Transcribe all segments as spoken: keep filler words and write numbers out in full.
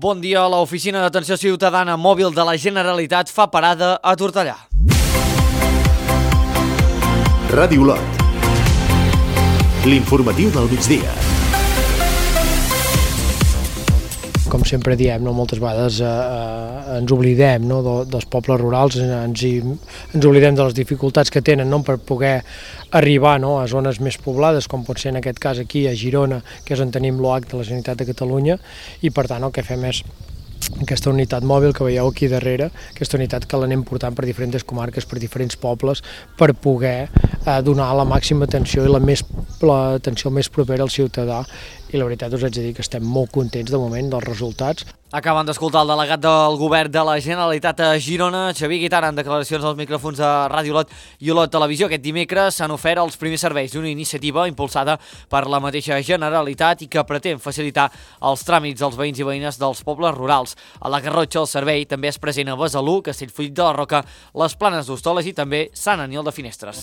Bon dia. L'Oficina d'Atenció Ciutadana Mòbil de la Generalitat fa parada a Tortellà. Ràdio Olot. L'informatiu del migdia. Com sempre diem, no? moltes vegades eh, eh, ens oblidem no? de, dels pobles rurals, ens, hi, ens oblidem de les dificultats que tenen no? per poder arribar no? a zones més poblades, com pot ser en aquest cas aquí a Girona, que és on tenim l'O H de la Generalitat de Catalunya, i per tant el que fem és aquesta unitat mòbil que veieu aquí darrere, aquesta unitat que l'anem portant per diferents comarques, per diferents pobles, per poder eh, donar la màxima atenció i la més l'atenció més propera al ciutadà, i la veritat us haig de dir que estem molt contents de moment dels resultats. Acaben d'escoltar el delegat del govern de la Generalitat a Girona, Xavier Guitara, en declaracions als micròfons de Ràdio Olot i Olot Televisió. Aquest dimecres s'han ofert els primers serveis d'una iniciativa impulsada per la mateixa Generalitat i que pretén facilitar els tràmits als veïns i veïnes dels pobles rurals. A la Garrotxa el servei també és present a Besalú, Castellfollit de la Roca, les Planes d'Hostoles i també Sant Aniol de Finestres.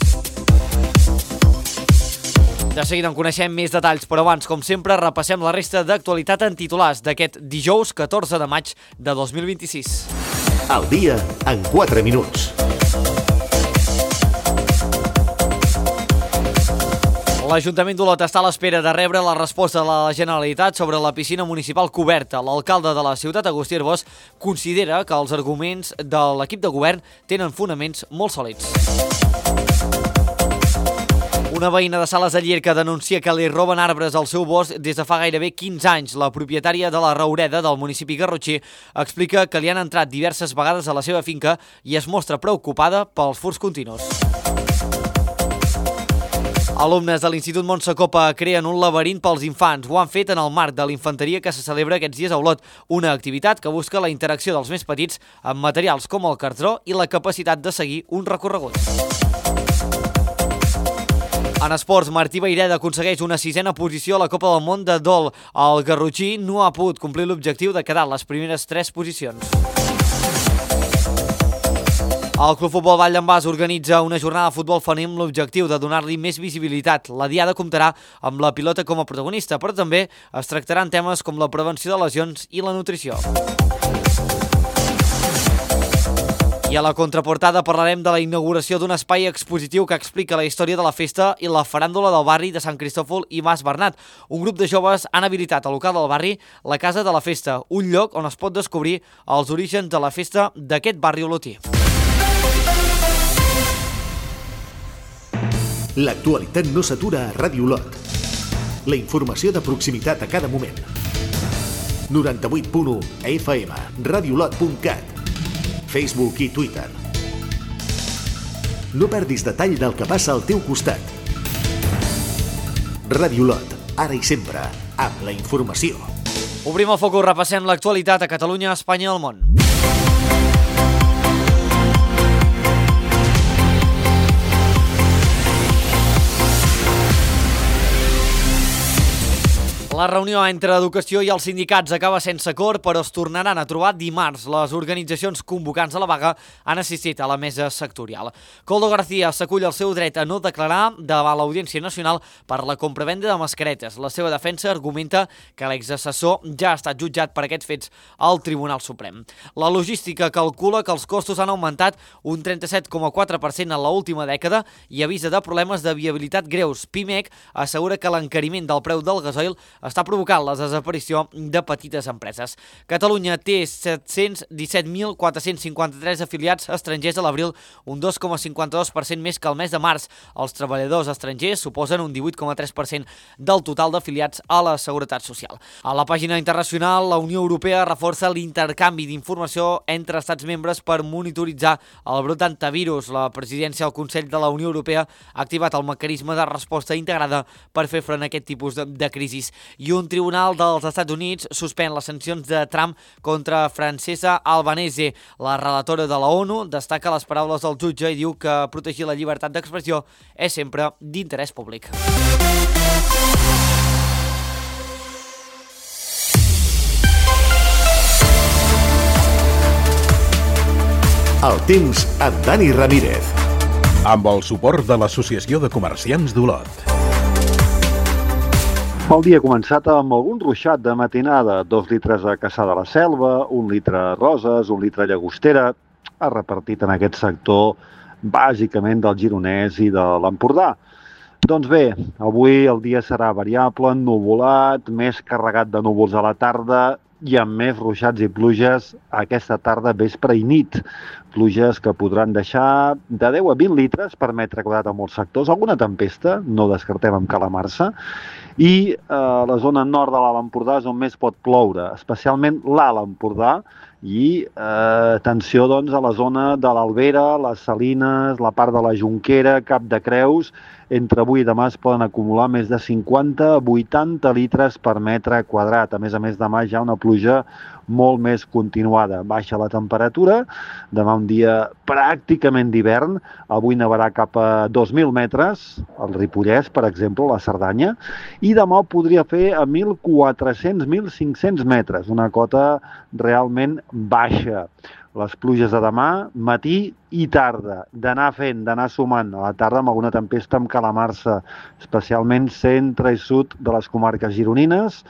De seguida en coneixem més detalls, però abans, com sempre, repassem la resta d'actualitat en titulars d'aquest dijous catorze de maig de dos mil vint-i-sis. Al dia en quatre minuts. L'Ajuntament d'Olot està a l'espera de rebre la resposta de la Generalitat sobre la piscina municipal coberta. L'alcalde de la ciutat, Agustí Arbós, considera que els arguments de l'equip de govern tenen fonaments molt sòlids. Una veïna de Sales de Llierca denuncia que li roben arbres al seu bosc des de fa gairebé quinze anys. La propietària de la Raureda del municipi garrotxí explica que li han entrat diverses vegades a la seva finca i es mostra preocupada pels furts continus. Alumnes de l'Institut Montse Copa creen un laberint pels infants. Ho han fet en el marc de l'infanteria que se celebra aquests dies a Olot, una activitat que busca la interacció dels més petits amb materials com el cartró i la capacitat de seguir un recorregut. En esports, Martí Vaireda aconsegueix una sisena posició a la Copa del Món de Dol. El garrotxí no ha pogut complir l'objectiu de quedar a les primeres tres posicions. El Club Futbol Vall d'en Bas organitza una jornada de futbol femení amb l'objectiu de donar-li més visibilitat. La diada comptarà amb la pilota com a protagonista, però també es tractaran temes com la prevenció de lesions i la nutrició. I a la contraportada parlarem de la inauguració d'un espai expositiu que explica la història de la festa i la faràndula del barri de Sant Cristòfol i Mas Bernat. Un grup de joves han habilitat al local del barri la Casa de la Festa, un lloc on es pot descobrir els orígens de la festa d'aquest barri olotí. L'actualitat no s'atura a Ràdio Olot. La informació de proximitat a cada moment. noranta-vuit punt u F M, radiolot punt cat, Facebook i Twitter. No perdis detall del que passa al teu costat. Ràdio Olot, ara i sempre, amb la informació. Obrim el focus, repassem l'actualitat a Catalunya, Espanya i el món. La reunió entre Educació i els sindicats acaba sense acord, però es tornaran a trobar dimarts. Les organitzacions convocants a la vaga han assistit a la mesa sectorial. Koldo García s'acull el seu dret a no declarar davant l'Audiència Nacional per la compravenda de mascaretes. La seva defensa argumenta que l'exassessor ja ha estat jutjat per aquests fets al Tribunal Suprem. La logística calcula que els costos han augmentat un trenta-set coma quatre per cent en l'última dècada i avisa de problemes de viabilitat greus. Pimec assegura que l'encariment del preu del gasoil està provocant la desaparició de petites empreses. Catalunya té set-cents disset mil quatre-cents cinquanta-tres afiliats estrangers a l'abril, un dos coma cinquanta-dos per cent més que el mes de març. Els treballadors estrangers suposen un divuit coma tres per cent del total d'afiliats a la Seguretat Social. A la pàgina internacional, la Unió Europea reforça l'intercanvi d'informació entre estats membres per monitoritzar el brot d'antivirus. La presidència del Consell de la Unió Europea ha activat el mecanisme de resposta integrada per fer front a aquest tipus de, de crisis. I un tribunal dels Estats Units suspèn les sancions de Trump contra Francesca Albanese. La relatora de la ONU destaca les paraules del jutge i diu que protegir la llibertat d'expressió és sempre d'interès públic. El temps amb Dani Ramírez. Amb el suport de l'Associació de Comerciants d'Olot. El dia ha començat amb algun ruixat de matinada, dos litres a Caçà de la Selva, un litre a Roses, un litre a Llagostera, ha repartit en aquest sector bàsicament del Gironès i de l'Empordà. Doncs bé, avui el dia serà variable, ennuvolat, més carregat de núvols a la tarda i amb més ruixats i pluges aquesta tarda, vespre i nit. Pluges que podran deixar de deu a vint litres per metre quadrat a molts sectors. Alguna tempesta, no descartem amb calamarsa. I eh, la zona nord de l'Alt Empordà és on més pot ploure, especialment l'Alt Empordà, i eh, atenció doncs, a la zona de l'Albera, les Salines, la part de la Jonquera, Cap de Creus. Entre avui i demà es poden acumular més de cinquanta a vuitanta litres per metre quadrat. A més a més, demà ja una pluja molt més continuada. Baixa la temperatura, demà un dia pràcticament d'hivern, avui nevarà cap a dos mil metres, al Ripollès, per exemple, la Cerdanya, i demà ho podria fer a mil quatre-cents a mil cinc-cents metres, una cota realment baixa. Les pluges de demà, matí i tarda, d'anar fent, d'anar sumant. A la tarda amb alguna tempesta amb calamarsa, especialment centre i sud de les comarques gironines,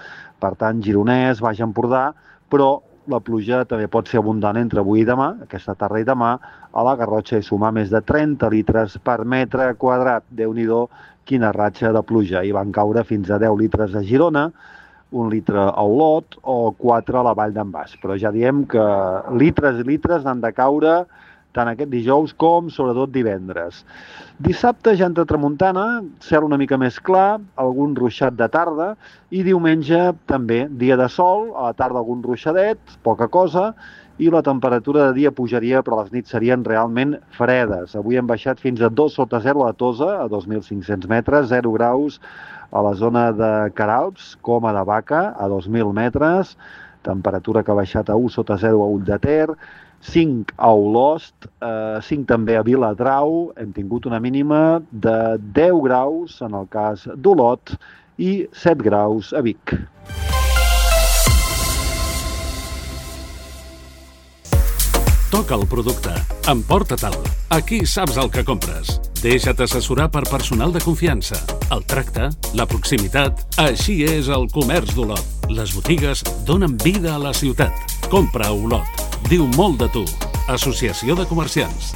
per tant, Gironès, Baix Empordà, però la pluja també pot ser abundant entre avui i demà, aquesta tarda i demà, a la Garrotxa i sumar més de trenta litres per metre quadrat. Déu-n'hi-do, quina ratxa de pluja. Hi van caure fins a deu litres a Girona, un litre a Olot o quatre a la Vall d'en Bas. Però ja diem que litres i litres han de caure tant aquest dijous com sobretot divendres. Dissabte ja entra tramuntana, cel una mica més clar, algun ruixat de tarda, i diumenge també dia de sol, a la tarda algun ruixadet, poca cosa, i la temperatura de dia pujaria, però les nits serien realment fredes. Avui hem baixat fins a dos sota zero a Tosa, a dos mil cinc-cents metres, zero graus a la zona de Queralbs, Coma de Vaca, a dos mil metres, temperatura que ha baixat a u sota zero a Ull de Ter, cinc a Olost, eh, cinc també a Viladrau, hem tingut una mínima de deu graus en el cas d'Olot i set graus a Vic. Toca el producte, emporta-te'l. Aquí saps el que compres. Deixa't assessorar per personal de confiança. El tracte, la proximitat, així és el comerç d'Olot. Les botigues donen vida a la ciutat. Compra a Olot. Diu molt de tu. Associació de Comerciants.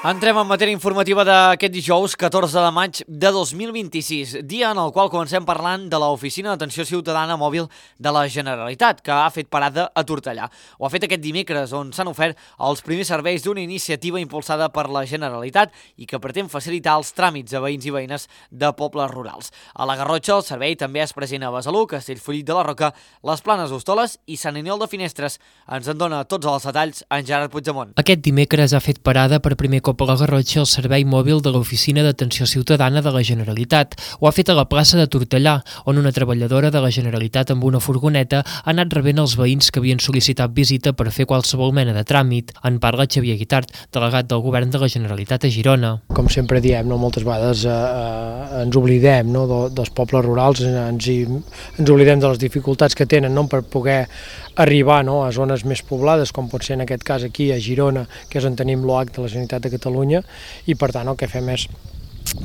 Entrem en matèria informativa d'aquest dijous catorze de maig de dos mil vint-i-sis, dia en el qual comencem parlant de l'Oficina d'Atenció Ciutadana Mòbil de la Generalitat, que ha fet parada a Tortellà. Ho ha fet aquest dimecres, on s'han ofert els primers serveis d'una iniciativa impulsada per la Generalitat i que pretén facilitar els tràmits a veïns i veïnes de pobles rurals. A la Garrotxa, el servei també és present a Besalú, Castellfollit de la Roca, les Planes d'Hostoles i Sant Aniol de Finestres. Ens en dona tots els detalls en Gerard Puigdemont. Aquest dimecres ha fet parada per primer cop a la Garrotxa el servei mòbil de l'Oficina d'Atenció Ciutadana de la Generalitat. Ho ha fet a la plaça de Tortellà, on una treballadora de la Generalitat amb una furgoneta ha anat rebent els veïns que havien sol·licitat visita per fer qualsevol mena de tràmit. En parla Xavier Guitart, delegat del Govern de la Generalitat a Girona. Com sempre diem, no, moltes vegades eh, eh, ens oblidem no, de, dels pobles rurals, ens, hi, ens oblidem de les dificultats que tenen no, per poder arribar no, a zones més poblades, com pot ser en aquest cas aquí a Girona, que és on tenim l'O H de la Generalitat de Catalunya, i per tant el que fem és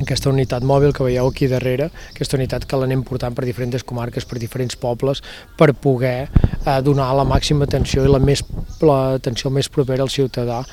aquesta unitat mòbil que veieu aquí darrere, aquesta unitat que l'anem portant per diferents comarques, per diferents pobles, per poder eh, donar la màxima atenció i la més l'atenció més propera al ciutadà,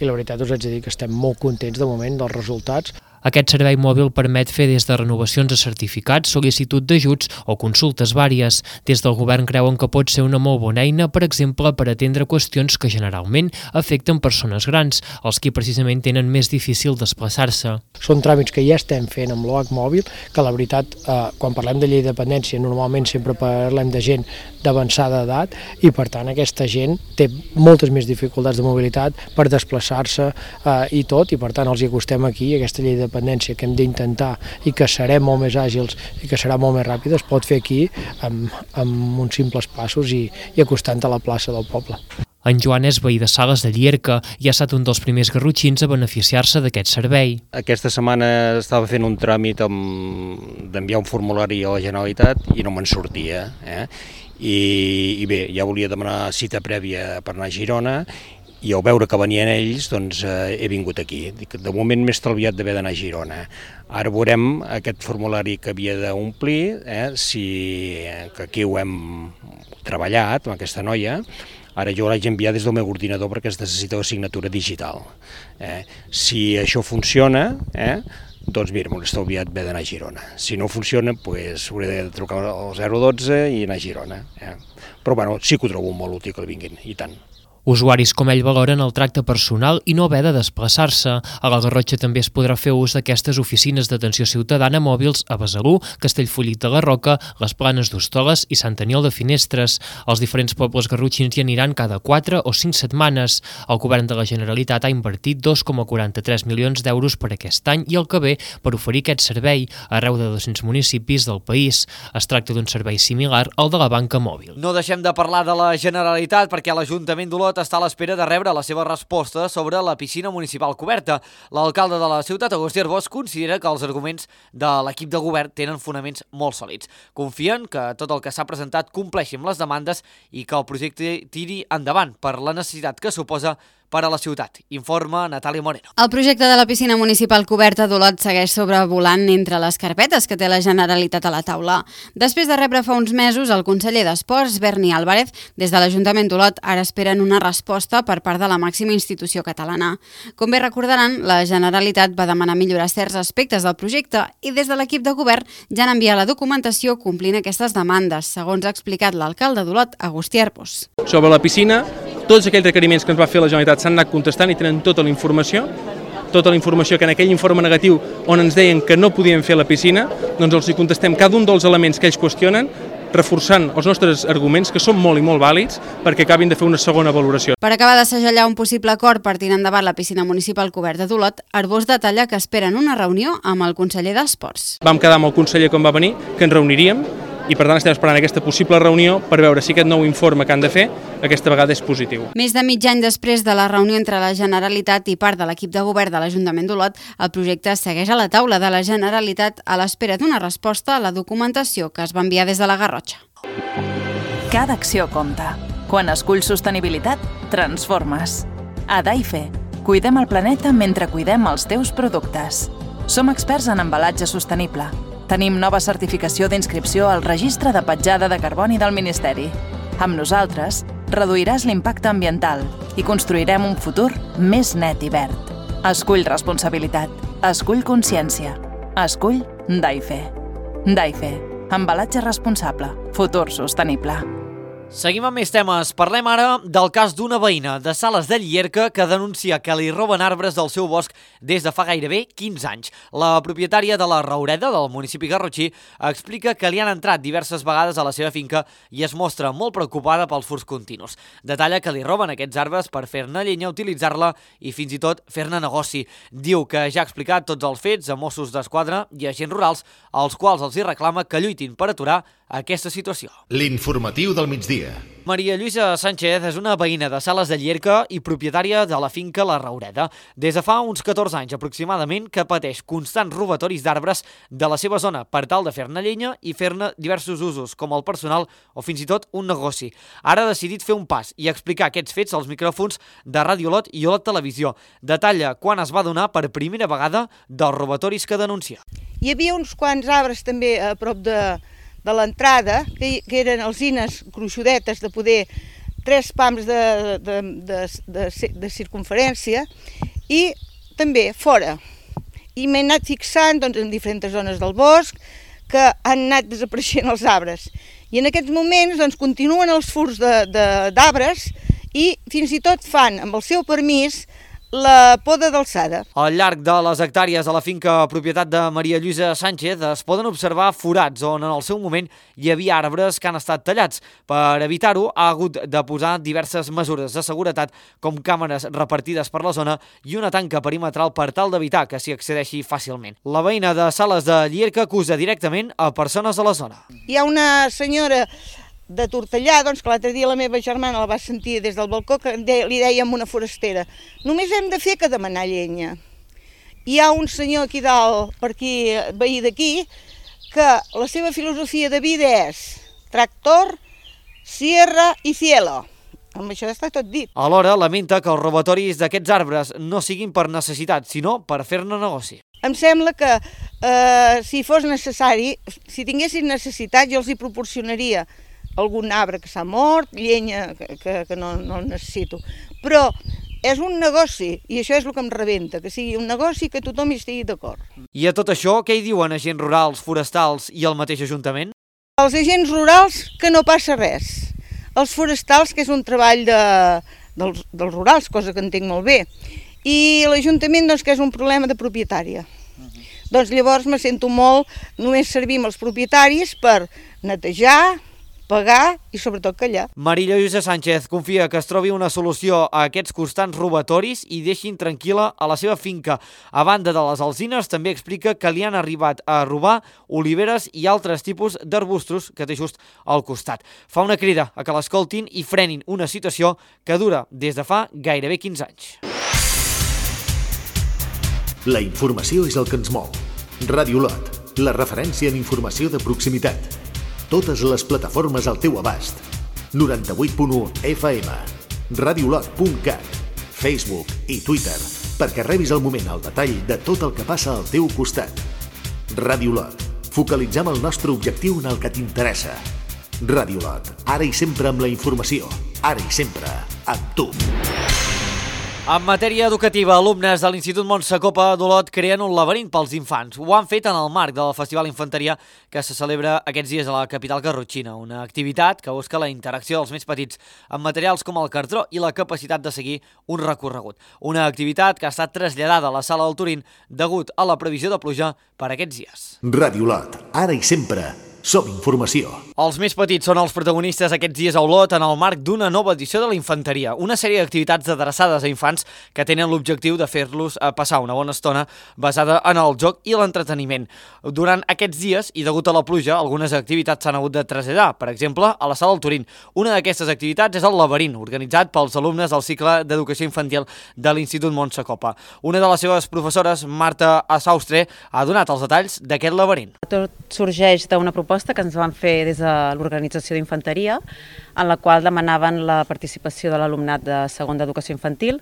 i la veritat us haig de dir que estem molt contents de moment dels resultats. Aquest servei mòbil permet fer des de renovacions de certificats, sol·licitud d'ajuts o consultes vàries. Des del govern creuen que pot ser una molt bona eina, per exemple, per atendre qüestions que generalment afecten persones grans, els qui precisament tenen més difícil desplaçar-se. Són tràmits que ja estem fent amb l'O H mòbil, que la veritat, eh, quan parlem de llei de dependència, normalment sempre parlem de gent d'avançada edat, i per tant aquesta gent té moltes més dificultats de mobilitat per desplaçar-se eh, i tot, i per tant els hi acostem aquí, aquesta llei de dependència que hem d'intentar i que serem molt més àgils i que serà molt més ràpida, es pot fer aquí amb, amb uns simples passos i, i acostant a la plaça del poble. En Joan és veí de Sales de Llierca i ha estat un dels primers garrotxins a beneficiar-se d'aquest servei. Aquesta setmana estava fent un tràmit d'enviar un formulari a la Generalitat i no me'n sortia. Eh? I, I bé, ja volia demanar cita prèvia per anar a Girona, i al veure que venien ells, doncs eh, he vingut aquí. De moment m'he estalviat d'haver d'anar a Girona. Ara veurem aquest formulari que havia d'omplir, eh, si, que aquí ho hem treballat, amb aquesta noia. Ara jo l'haig enviat des del meu ordinador perquè es necessita la signatura digital. Eh? Si això funciona, eh, doncs mira, m'ho he estalviat haver d'anar a Girona. Si no funciona, doncs hauré de trucar al zero dotze i anar a Girona. Eh? Però bueno, sí que ho trobo molt útil que vinguin, i tant. Usuaris com ell valoren el tracte personal i no haver de desplaçar-se. A la Garrotxa també es podrà fer ús d'aquestes oficines d'atenció ciutadana mòbils a Besalú, Castellfollit de la Roca, les Planes d'Hostoles i Sant Aniol de Finestres. Els diferents pobles garrotxins hi aniran cada quatre o cinc setmanes. El govern de la Generalitat ha invertit dos coma quaranta-tres milions d'euros per aquest any i el que ve per oferir aquest servei arreu de dos-cents municipis del país. Es tracta d'un servei similar al de la banca mòbil. No deixem de parlar de la Generalitat perquè l'Ajuntament d'Olot està a l'espera de rebre la seva resposta sobre la piscina municipal coberta. L'alcalde de la ciutat, Agustí Arbós, considera que els arguments de l'equip de govern tenen fonaments molt sòlids. Confien que tot el que s'ha presentat compleixi amb les demandes i que el projecte tiri endavant per la necessitat que suposa per a la ciutat. Informa Natàlia Moreno. El projecte de la piscina municipal coberta d'Olot segueix sobrevolant entre les carpetes que té la Generalitat a la taula. Després de rebre fa uns mesos el conseller d'Esports, Berni Álvarez, des de l'Ajuntament d'Olot ara esperen una resposta per part de la màxima institució catalana. Com bé recordaran, la Generalitat va demanar millorar certs aspectes del projecte i des de l'equip de govern ja han enviat la documentació complint aquestes demandes, segons ha explicat l'alcalde d'Olot, Agustí Arbós. Sobre la piscina, tots aquells requeriments que ens va fer la Generalitat s'han anat contestant i tenen tota la informació, tota la informació que en aquell informe negatiu on ens deien que no podien fer la piscina, doncs els hi contestem cada un dels elements que ells qüestionen, reforçant els nostres arguments, que són molt i molt vàlids, perquè acabin de fer una segona valoració. Per acabar de segellar un possible acord per tirar endavant la piscina municipal coberta d'Olot, Arbós detalla que esperen una reunió amb el conseller d'Esports. Vam quedar amb el conseller quan va venir, que ens reuniríem, i per tant estem esperant aquesta possible reunió per veure si aquest nou informe que han de fer aquesta vegada és positiu. Més de mig any després de la reunió entre la Generalitat i part de l'equip de govern de l'Ajuntament d'Olot, el projecte segueix a la taula de la Generalitat a l'espera d'una resposta a la documentació que es va enviar des de la Garrotxa. Cada acció compta. Quan esculls sostenibilitat, transformes. A Daife, cuidem el planeta mentre cuidem els teus productes. Som experts en embalatge sostenible. Tenim nova certificació d'inscripció al Registre de Petjada de Carboni del Ministeri. Amb nosaltres, reduiràs l'impacte ambiental i construirem un futur més net i verd. Escull responsabilitat. Escull consciència. Escull Daife. Daife. Embalatge responsable. Futur sostenible. Seguim amb més temes. Parlem ara del cas d'una veïna de Sales de Llierca que denuncia que li roben arbres del seu bosc des de fa gairebé quinze anys. La propietària de la Raureda, del municipi garrotxí, explica que li han entrat diverses vegades a la seva finca i es mostra molt preocupada pels furts continus. Detalla que li roben aquests arbres per fer-ne llenya, utilitzar-la i fins i tot fer-ne negoci. Diu que ja ha explicat tots els fets a Mossos d'Esquadra i agents rurals, als quals els hi reclama que lluitin per aturar aquesta situació. L'informatiu del migdia. Maria Lluïsa Sánchez és una veïna de Sales de Llierca i propietària de la finca La Raureda. Des de fa uns catorze anys aproximadament que pateix constants robatoris d'arbres de la seva zona per tal de fer-ne llenya i fer-ne diversos usos, com el personal o fins i tot un negoci. Ara ha decidit fer un pas i explicar aquests fets als micròfons de Ràdio Olot i Olot Televisió. Detalla quan es va donar per primera vegada dels robatoris que denuncia. Hi havia uns quants arbres també a prop de de l'entrada, que, que eren alzines gruixudetes de poder tres pams de, de, de, de, de circunferència i també fora. I m'he anat fixant doncs, en diferents zones del bosc que han anat desapareixent els arbres. I en aquests moments doncs, continuen els furts d'arbres i fins i tot fan, amb el seu permís, la poda d'alçada. Al llarg de les hectàrees de la finca propietat de Maria Lluïsa Sánchez es poden observar forats on en el seu moment hi havia arbres que han estat tallats. Per evitar-ho ha hagut de posar diverses mesures de seguretat com càmeres repartides per la zona i una tanca perimetral per tal d'evitar que s'hi accedeixi fàcilment. La veïna de Sales de Llierca acusa directament a persones de la zona. Hi ha una senyora de Tortellà, doncs, que l'altre dia la meva germana la va sentir des del balcó, que li dèiem una forastera. Només hem de fer que demanar llenya. Hi ha un senyor aquí dalt, per aquí, veí d'aquí, que la seva filosofia de vida és tractor, sierra i cielo. Amb això està tot dit. Alhora, lamenta que els robatoris d'aquests arbres no siguin per necessitat, sinó per fer-ne negoci. Em sembla que eh, si fos necessari, si tinguessin necessitat, jo els hi proporcionaria algun arbre que s'ha mort, llenya que, que, que no, no necessito. Però és un negoci, i això és el que em rebenta, que sigui un negoci que tothom hi estigui d'acord. I a tot això, què hi diuen agents rurals, forestals i el mateix Ajuntament? Els agents rurals, que no passa res. Els forestals, que és un treball de, dels, dels rurals, cosa que entenc molt bé. I l'Ajuntament, doncs, que és un problema de propietària. Uh-huh. Doncs llavors me sento molt, només servim els propietaris per netejar, pagar i sobretot callar. Maria Lluïsa Sánchez confia que es trobi una solució a aquests constants robatoris i deixin tranquil·la a la seva finca. A banda de les alzines, també explica que li han arribat a robar oliveres i altres tipus d'arbustos que té just al costat. Fa una crida a que l'escoltin i frenin una situació que dura des de fa gairebé quinze anys. La informació és el que ens mou. Ràdio Lot, la referència en informació de proximitat. Totes les plataformes al teu abast. noranta-vuit punt u F M, radiolot punt cat, Facebook i Twitter, perquè rebis al moment el detall de tot el que passa al teu costat. Ràdio Lot, focalitzem el nostre objectiu en el que t'interessa. Ràdio Lot, ara i sempre amb la informació, ara i sempre amb tu. En matèria educativa, alumnes de l'Institut Montsecopa d'Olot creen un laberint pels infants. Ho han fet en el marc del Festival Infanteria que se celebra aquests dies a la capital garrotxina, una activitat que busca la interacció dels més petits amb materials com el cartró i la capacitat de seguir un recorregut. Una activitat que ha estat traslladada a la sala del Turín degut a la previsió de pluja per aquests dies. Ràdio Lot, ara i sempre som informació. Els més petits són els protagonistes aquests dies a Olot en el marc d'una nova edició de la Infanteria, una sèrie d'activitats adreçades a infants que tenen l'objectiu de fer-los passar una bona estona basada en el joc i l'entreteniment. Durant aquests dies, i degut a la pluja, algunes activitats s'han hagut de traslladar, per exemple, a la sala del Turín. Una d'aquestes activitats és el laberint, organitzat pels alumnes del cicle d'educació infantil de l'Institut Montsecopa. Una de les seves professores, Marta Assaustre, ha donat els detalls d'aquest laberint. Tot sorgeix d'una proposta que ens van fer des de l'organització d'Infanteria, en la qual demanaven la participació de l'alumnat de segon d'educació infantil.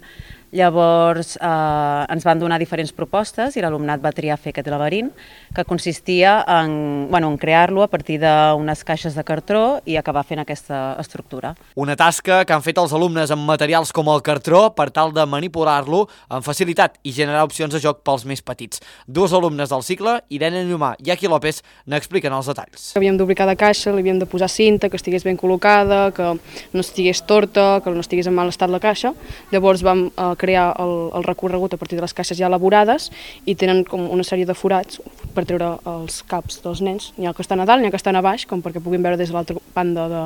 Llavors eh, ens van donar diferents propostes i l'alumnat va triar fer aquest laberint, que consistia en, bueno, en crear-lo a partir d'unes caixes de cartró i acabar fent aquesta estructura. Una tasca que han fet els alumnes amb materials com el cartró per tal de manipular-lo amb facilitat i generar opcions de joc pels més petits. Dos alumnes del cicle, Irene Llumà i Aki López, n'expliquen els detalls. Havíem d'obrir cada caixa, li havíem de posar cinta, que estigués ben col·locada, que no estigués torta, que no estigués en mal estat la caixa. Llavors vam eh, crear el, el recorregut a partir de les caixes ja elaborades i tenen com una sèrie de forats per treure els caps dels nens. N'hi ha que estan a dalt, n'hi ha que estan a baix, com perquè puguin veure des de l'altra banda de,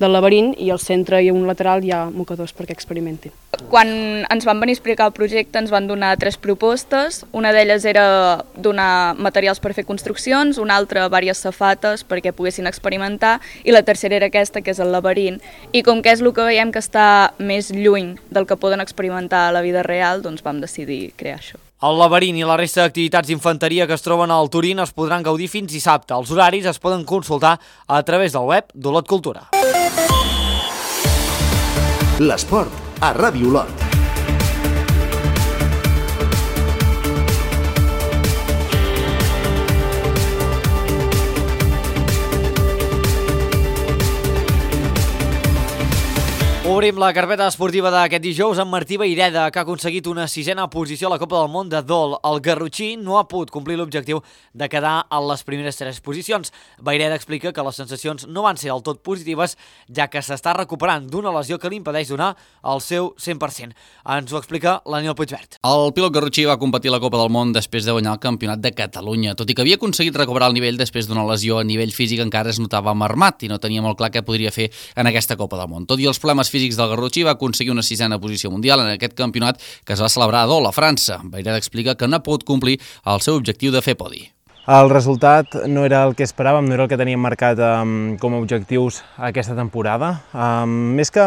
del laberint, i al centre i a un lateral hi ha mocadors perquè experimentin. Quan ens van venir a explicar el projecte ens van donar tres propostes. Una d'elles era donar materials per fer construccions, una altra diverses safates perquè poguessin experimentar i la tercera era aquesta, que és el laberint. I com que és el que veiem que està més lluny del que poden experimentar a la vida real, doncs vam decidir crear això. El laberint i la resta d'activitats d'infanteria que es troben al Turín es podran gaudir fins dissabte. Els horaris es poden consultar a través del web d'Olot Cultura. L'esport a Ràdio Olot. Obrim la carpeta esportiva d'aquest dijous amb Martí Vayreda, que ha aconseguit una sisena posició a la Copa del Món de Dol. El garrotxí no ha pogut complir l'objectiu de quedar a les primeres tres posicions. Vayreda explica que les sensacions no van ser del tot positives, ja que s'està recuperant d'una lesió que li impedeix donar el seu cent per cent. Ens ho explica l'Aniel Puigvert. El pilot garrotxí va competir a la Copa del Món després de guanyar el Campionat de Catalunya. Tot i que havia aconseguit recuperar el nivell després d'una lesió a nivell físic, encara es notava marmat i no tenia molt clar què podria fer en aquesta Copa del Món. Tot i els problemes físics del garrotxí, va aconseguir una sisena posició mundial en aquest campionat que es va celebrar a Dol, a França. Vayreda explica que no ha pogut complir el seu objectiu de fer podi. El resultat no era el que esperàvem, no era el que teníem marcat um, com a objectius aquesta temporada. Um, més que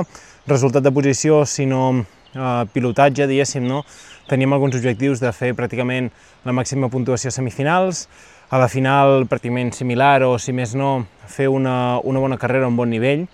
resultat de posició, sinó uh, pilotatge, diguéssim, no? Teníem alguns objectius de fer pràcticament la màxima puntuació a semifinals, a la final pràcticament similar o, si més no, fer una, una bona carrera a un bon nivell.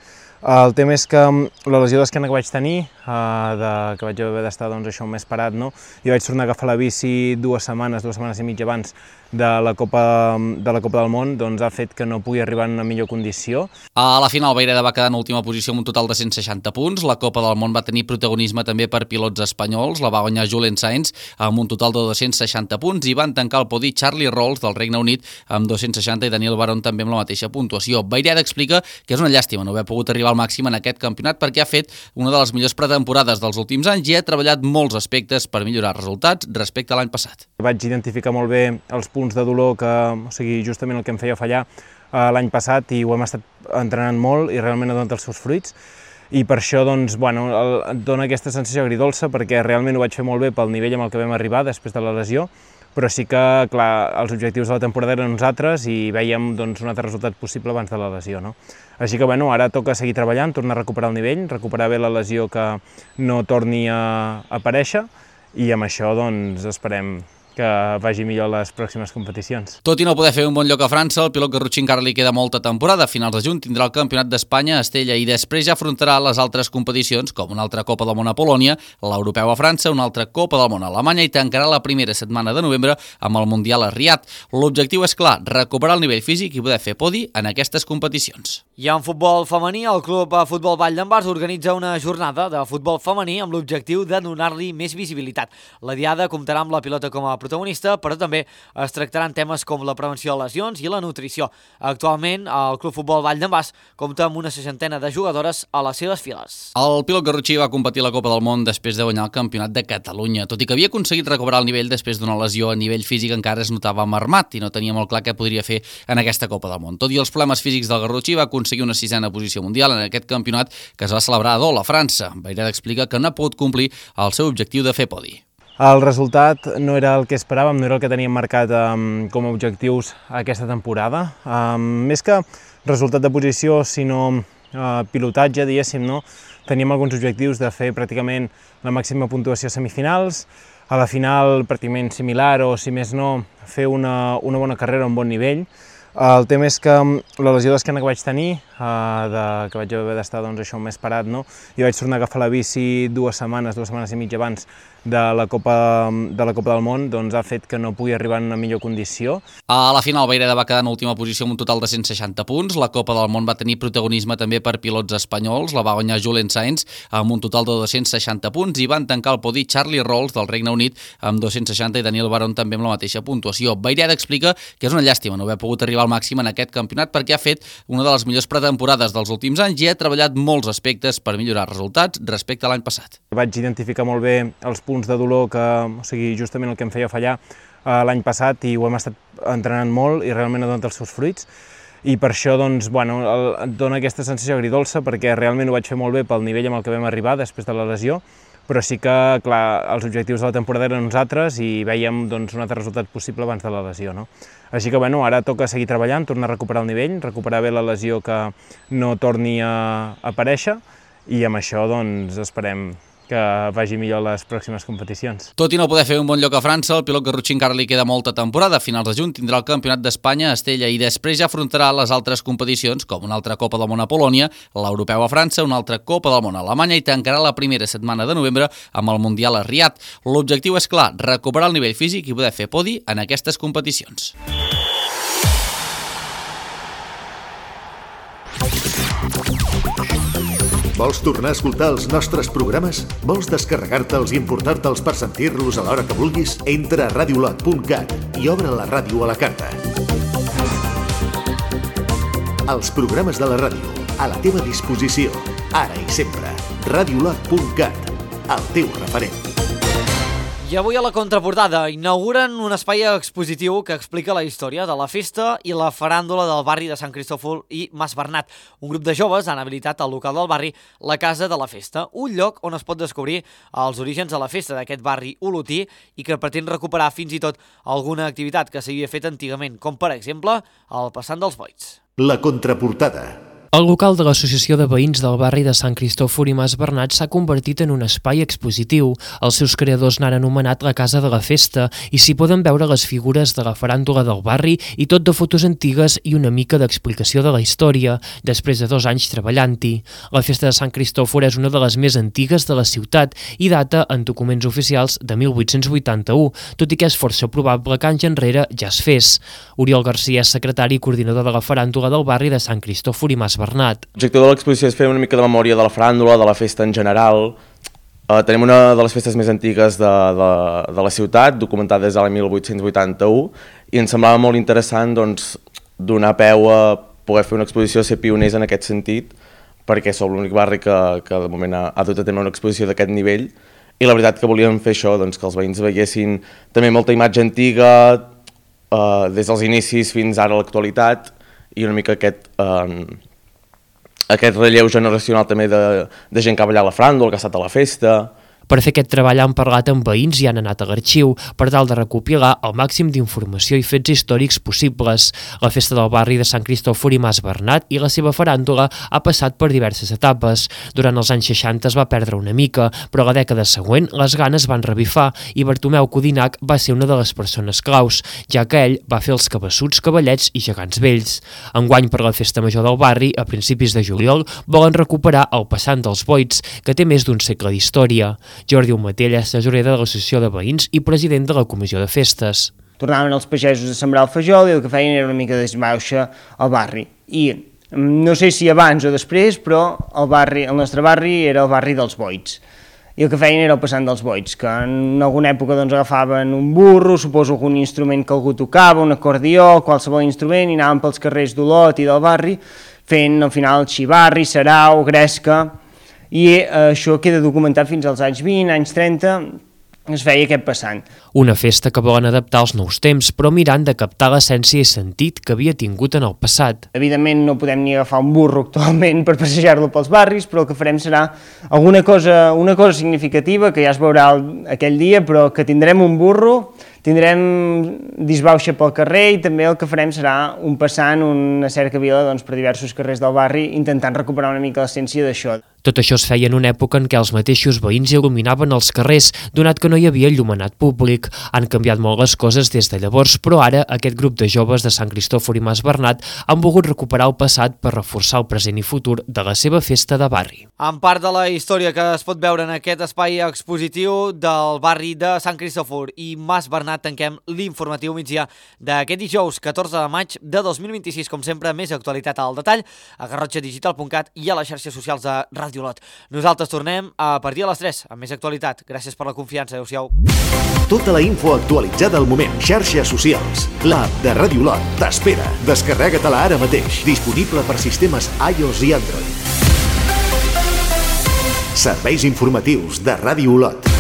El tema és que la lesió d'esquena que vaig tenir, eh, de, que vaig haver d'estar doncs, això un mes parat, no? I vaig tornar a agafar la bici dues setmanes, dues setmanes i mitja abans de la Copa, de la Copa del Món, doncs ha fet que no pugui arribar en una millor condició. A la final, Vayreda va quedar en última posició amb un total de cent seixanta punts. La Copa del Món va tenir protagonisme també per pilots espanyols. La va guanyar Julen Sainz amb un total de dos-cents seixanta punts i van tancar el podi Charlie Rolls del Regne Unit amb dos-cents seixanta i Daniel Barón també amb la mateixa puntuació. Vayreda explica que és una llàstima no haver pogut arribar al màxim en aquest campionat perquè ha fet una de les millors pretemporades dels últims anys i ha treballat molts aspectes per millorar resultats respecte a l'any passat. Vaig identificar molt bé els punts de dolor, que, o sigui, justament el que em feia fallar eh, l'any passat, i ho hem estat entrenant molt i realment ha donat els seus fruits. I per això doncs, bueno, el, et dona aquesta sensació agridolça perquè realment ho vaig fer molt bé pel nivell amb el que vam arribar després de la lesió, però sí que, clar, els objectius de la temporada eren uns altres i vèiem doncs, un altre resultat possible abans de la lesió, no? Així que, bueno, ara toca seguir treballant, tornar a recuperar el nivell, recuperar bé la lesió que no torni a aparèixer i amb això, doncs, esperem que vagi millor les pròximes competicions. Tot i no poder fer un bon lloc a França, el pilot garrotxí encara li queda molta temporada. A finals de juny tindrà el Campionat d'Espanya a Estella i després ja afrontarà les altres competicions, com una altra Copa del Món a Polònia, l'Europeu a França, una altra Copa del Món a Alemanya i tancarà la primera setmana de novembre amb el Mundial a Riad. L'objectiu és clar, recuperar el nivell físic i poder fer podi en aquestes competicions. I en futbol femení, el Club Futbol Vall d'en Bas organitza una jornada de futbol femení amb l'objectiu de donar-li més visibilitat. La diada comptarà amb la pilota com a protagonista, però també es tractaran temes com la prevenció de lesions i la nutrició. Actualment, el Club Futbol Vall d'en Bas compta amb una seixantena de jugadores a les seves files. El pilot garrotxí va competir a la Copa del Món després de guanyar el Campionat de Catalunya. Tot i que havia aconseguit recuperar el nivell després d'una lesió a nivell físic, encara es notava marmat i no tenia molt clar què podria fer en aquesta Copa del Món. Tot i els problemes físics del garrotxí, va aconseguir una sisena posició mundial en aquest campionat que es va celebrar a Dol, a França. Vayreda explica que no ha pogut complir el seu objectiu de fer podi. El resultat no era el que esperàvem, no era el que teníem marcat um, com a objectius aquesta temporada. Um, més que resultat de posició, sinó uh, pilotatge, diguéssim, no? Teníem alguns objectius de fer pràcticament la màxima puntuació a semifinals, a la final pràcticament similar o, si més no, fer una, una bona carrera a un bon nivell. El tema és que la lesió d'esquena que vaig tenir, eh, de, que vaig haver d'estar doncs, això un mes parat, no? I vaig tornar a agafar la bici dues setmanes, dues setmanes i mitja abans de la Copa, de la Copa del Món, doncs ha fet que no pugui arribar en una millor condició. A la final, Vayreda va quedar en última posició amb un total de cent seixanta punts. La Copa del Món va tenir protagonisme també per pilots espanyols. La va guanyar Julen Sainz amb un total de dos-cents seixanta punts i van tancar el podi Charlie Rolls del Regne Unit amb dos-cents seixanta i Daniel Barón també amb la mateixa puntuació. Vayreda explica que és una llàstima no haver pogut arribar al màxim en aquest campionat perquè ha fet una de les millors pretemporades dels últims anys i ha treballat molts aspectes per millorar resultats respecte a l'any passat. Vaig identificar molt bé els punts de dolor, que, o sigui, justament el que em feia fallar eh, l'any passat, i ho hem estat entrenant molt i realment ha donat els seus fruits. I per això doncs, bueno, el, et dona aquesta sensació agridolça perquè realment ho vaig fer molt bé pel nivell amb el que vam arribar després de la lesió, però sí que, clar, els objectius de la temporada eren uns altres i vèiem doncs, un altre resultat possible abans de la lesió, no? Així que, bueno, ara toca seguir treballant, tornar a recuperar el nivell, recuperar bé la lesió que no torni a aparèixer i amb això, doncs, esperem que vagi millor les pròximes competicions. Tot i no poder fer un bon lloc a França, el pilot garrotxí encara li queda molta temporada. A finals de juny tindrà el Campionat d'Espanya a Estella i després ja afrontarà les altres competicions, com una altra Copa del Món a Polònia, l'Europeu a França, una altra Copa del Món a Alemanya i tancarà la primera setmana de novembre amb el Mundial a Riad. L'objectiu és clar, recuperar el nivell físic i poder fer podi en aquestes competicions. Vols tornar a escoltar els nostres programes? Vols descarregar-te'ls i importar-te'ls per sentir-los a l'hora que vulguis? Entra a radiolot punt cat i obre la ràdio a la carta. Els programes de la ràdio, a la teva disposició, ara i sempre. radiolot punt cat, el teu referent. I avui a la contraportada inauguren un espai expositiu que explica la història de la festa i la faràndula del barri de Sant Cristòfol i Mas Bernat. Un grup de joves han habilitat al local del barri la Casa de la Festa, un lloc on es pot descobrir els orígens de la festa d'aquest barri olotí i que pretén recuperar fins i tot alguna activitat que s'havia fet antigament, com per exemple el passant dels boigs. La contraportada. El local de l'Associació de Veïns del barri de Sant Cristòfor i Mas Bernat s'ha convertit en un espai expositiu. Els seus creadors n'han anomenat la Casa de la Festa i s'hi poden veure les figures de la faràndula del barri i tot de fotos antigues i una mica d'explicació de la història, després de dos anys treballant-hi. La Festa de Sant Cristòfor és una de les més antigues de la ciutat i data en documents oficials de mil vuit-cents vuitanta-u, tot i que és força probable que anys enrere ja es fes. Oriol Garcia és secretari i coordinador de la faràndula del barri de Sant Cristòfor i Mas Bernat. L'objectiu de l'exposició és fer una mica de memòria de la faràndula, de la festa en general. Uh, tenim una de les festes més antigues de, de, de la ciutat, documentada des de l'any mil vuit-cents vuitanta-u, i ens semblava molt interessant doncs, donar peu a poder fer una exposició, ser pioners en aquest sentit, perquè som l'únic barri que, que de moment ha, ha dut a tenir una exposició d'aquest nivell, i la veritat que volíem fer això, doncs, que els veïns veiessin també molta imatge antiga, uh, des dels inicis fins ara a l'actualitat, i una mica aquest... Uh, aquest relleu generacional també de, de gent que ha ballat la faràndula, que ha estat a la festa. Per fer aquest treball han parlat amb veïns i han anat a l'arxiu per tal de recopilar el màxim d'informació i fets històrics possibles. La festa del barri de Sant Cristòfor i Mas Bernat i la seva faràndula ha passat per diverses etapes. Durant els anys seixanta es va perdre una mica, però a la dècada següent les ganes van revifar i Bartomeu Codinac va ser una de les persones claus, ja que ell va fer els cabassuts, cavallets i gegants vells. Enguany, per la festa major del barri, a principis de juliol, volen recuperar el passant dels Boits, que té més d'un segle d'història. Jordi Umatell és tesorer de l'Associació de Veïns i president de la Comissió de Festes. Tornaven els pagesos a sembrar el fajol i el que feien era una mica d'esbauxa al barri. I no sé si abans o després, però el, barri, el nostre barri era el barri dels Boits. I el que feien era el passant dels Boits, que en alguna època doncs, agafaven un burro, suposo algun instrument que algú tocava, un acordió, qualsevol instrument, i anaven pels carrers d'Olot i del barri fent al final xivarri, sarau, gresca. I això queda documentat fins als anys vint, anys trenta, es feia aquest passant. Una festa que volen adaptar als nous temps, però mirant de captar l'essència i sentit que havia tingut en el passat. Evidentment no podem ni agafar un burro actualment per passejar-lo pels barris, però el que farem serà alguna cosa, una cosa significativa, que ja es veurà aquell dia, però que tindrem un burro, tindrem disbauxa pel carrer i també el que farem serà un passant, una cercavila doncs, per diversos carrers del barri, intentant recuperar una mica l'essència d'això. Tot això es feia en una època en què els mateixos veïns il·luminaven els carrers, donat que no hi havia il·luminat públic. Han canviat molt les coses des de llavors, però ara aquest grup de joves de Sant Cristòfor i Mas Bernat han volgut recuperar el passat per reforçar el present i futur de la seva festa de barri. En part de la història que es pot veure en aquest espai expositiu del barri de Sant Cristòfor i Mas Bernat, tanquem l'informatiu migdia d'aquest dijous catorze de maig de dos mil vint-i-sis. Com sempre, més actualitat al detall a garrotxa digital punt cat i a les xarxes socials de Ràdio Olot. Nosaltres tornem a partir de les tres amb més actualitat. Gràcies per la confiança. Adéu-siau. Tota la info actualitzada al moment. Xarxes socials. L'app de Ràdio Olot t'espera. Descarrega-te-la ara mateix. Disponible per sistemes iOS i Android. Serveis informatius de Ràdio Olot.